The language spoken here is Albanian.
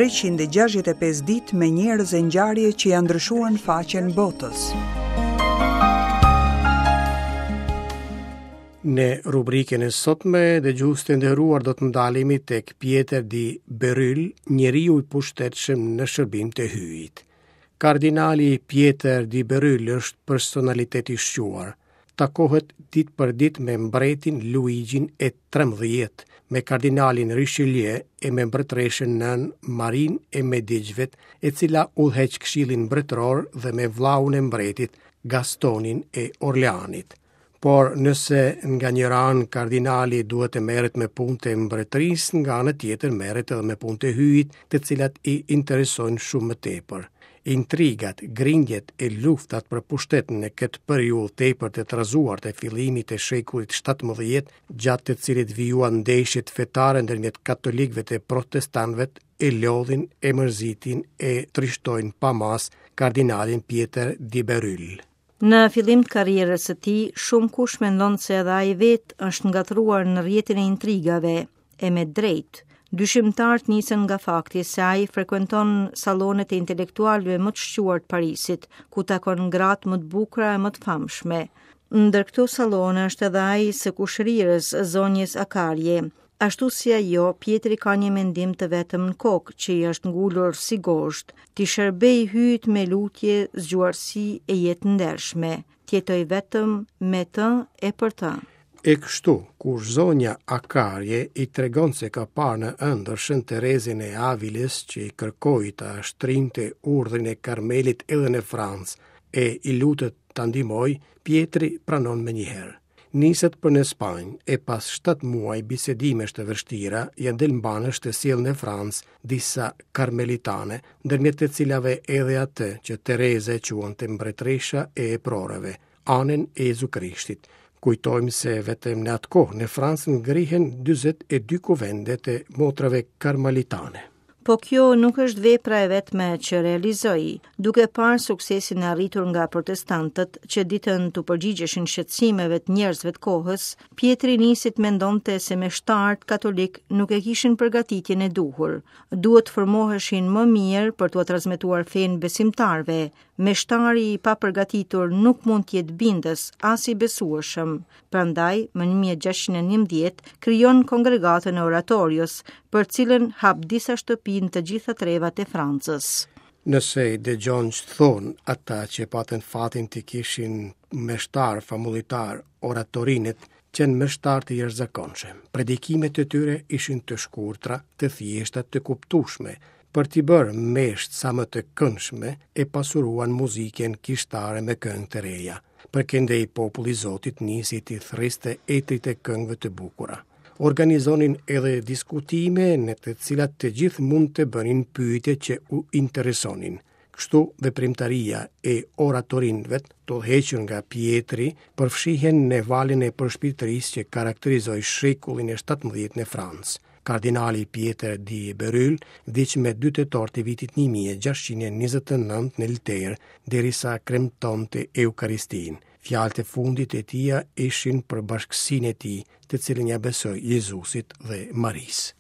365 ditë me njerëz e ngjarje që ia ndryshuan faqen botës. Në rubrikën e sotme, dëgjues të nderuar do të ndalemi tek Pjetër di Beryl, njeriu i pushtetshëm në shërbim të Hyjit. Kardinali Pjetër di Beryl është personalitet i shquar. Takohet ditë për ditë me mbretin Luigjin e 13, me kardinalin Richelieu e me mbretëreshën nënë Marinë e Mediçëve, e cila udhëheq këshillin mbretëror dhe me vllaun e mbretit, Gastonin e Orleanit. Por nëse nga njëra anë kardinali duhet të merret me punët e mbretërisë, nga ana tjetër merret edhe me punët e Hyjit, të cilat i interesojnë shumë më tepër. Intrigat, grindjet e luftat për pushtet në këtë periudhë tepër të trazuar të fillimit të shekullit 17, gjatë të cilit vijuan ndeshjet fetare ndërmjet katolikëve e protestantëve, e lodhin, e mërzitin, e trishtojnë pa masë kardinalin Pjetër di Beryl. Në fillim të karrierës së tij, shumëkush mendon se edhe ai vetë është ngatërruar në rrjetin e intrigave, e me drejtë. Dyshimtarët nisen nga fakti se ai frekuenton sallonet e intelektualëve më të shquar të Parisit, ku takon gratë më të bukura e më të famshme. Ndër këto sallone është edhe ai i së kushërirës, zonjës Akarje. Ashtu si ajo, Pjetri ka një mendim të vetëm në kokë që i është ngulur si gozhdë, t'i shërbejë Hyjit me lutje, zgjuarsi e jetë të ndershme, të jetojë vetëm me të e për të. E kështu, kur zonja Akarje i tregon se ka parë në ëndërr Shën Terezën e Avilës që i kërkoi ta shtrinte urdhrin e Karmelit edhe në Francë e i lutet ta ndihmojë, Pjetri pranon menjëherë. Niset për në Spanjë e pas 7 muaj bisedimesh të vështira, ia del mbanë të sjellë në Francë disa karmelitane, ndërmjet të cilave edhe atë që Tereza e quante mbretëresha e eproreve, Anën e Jezu Krishtit. Kujtojmë se vetëm në atë kohë në Francë ngrihen 42 kuvende të motrave karmelitane. Po kjo nuk është vepra e vetme që realizoi, duke parë suksesin e arritur nga protestantët që ditën t'u përgjigjeshin shqetësimeve të njerëzve të kohës, Pjetri nisi të mendonte se meshtarët katolikë nuk e kishin përgatitjen e duhur. Duhet të formoheshin më mirë për t'ua transmetuar fenë besimtarëve. Meshtari i papërgatitur nuk mund të jetë bindës, as i besueshëm. Prandaj, më 1611, krijon kongregatën e oratorios, për të cilën hap disa shtëpi në të gjitha trevat e Francës. Nëse i dëgjon ç'thonë ata që patën fatin të kishin meshtarë famullitarë oratorinët, qenë meshtarë të jashtëzakonshëm. Predikimet e tyre ishin të shkurtra, të thjeshta, të kuptueshme. Për t'i bërë meshat sa më të këndshme, e pasuruan muzikën kishtare me këngë të reja. Përkëndej populli i Zotit nisi t'i thërriste etërit e këngëve të bukura. Organizonin edhe diskutime në të cilat të gjithë mund të bënin pyetje që u interesonin. Kështu veprimtaria e oratorinëve, të udhëhequr nga Pjetri, përfshihen në valën e përshpirtërisë që karakterizoi shekullin e 17 në Francë. Kardinali Pjetër di Beryl vdiq me 2 tetor të vitit 1629 në Lterë, derisa kremtonte Eukaristinë. Fjalët e fundit të tija ishin për bashkësinë e tij, të cilën ia besoi Jezusit dhe Marisë.